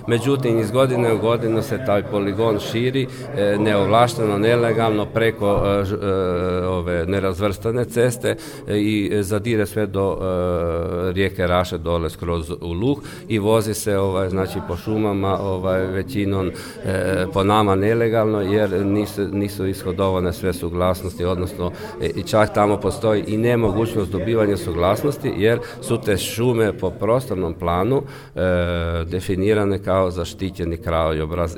međutim iz godine u godinu se taj poligon širi neovlašteno, nelegalno preko ove nerazvrstane ceste i zadire sve do rijeke Raše dole skroz u Luh i vozi se znači po šumama većinom po nama nelegalno jer nisu ishodovane sve suglasnosti, odnosno i čak tamo postoji i nemogućnost dobivanja suglasnosti jer su te šume po prostornom planu definirane kao zaštićeni krajobraz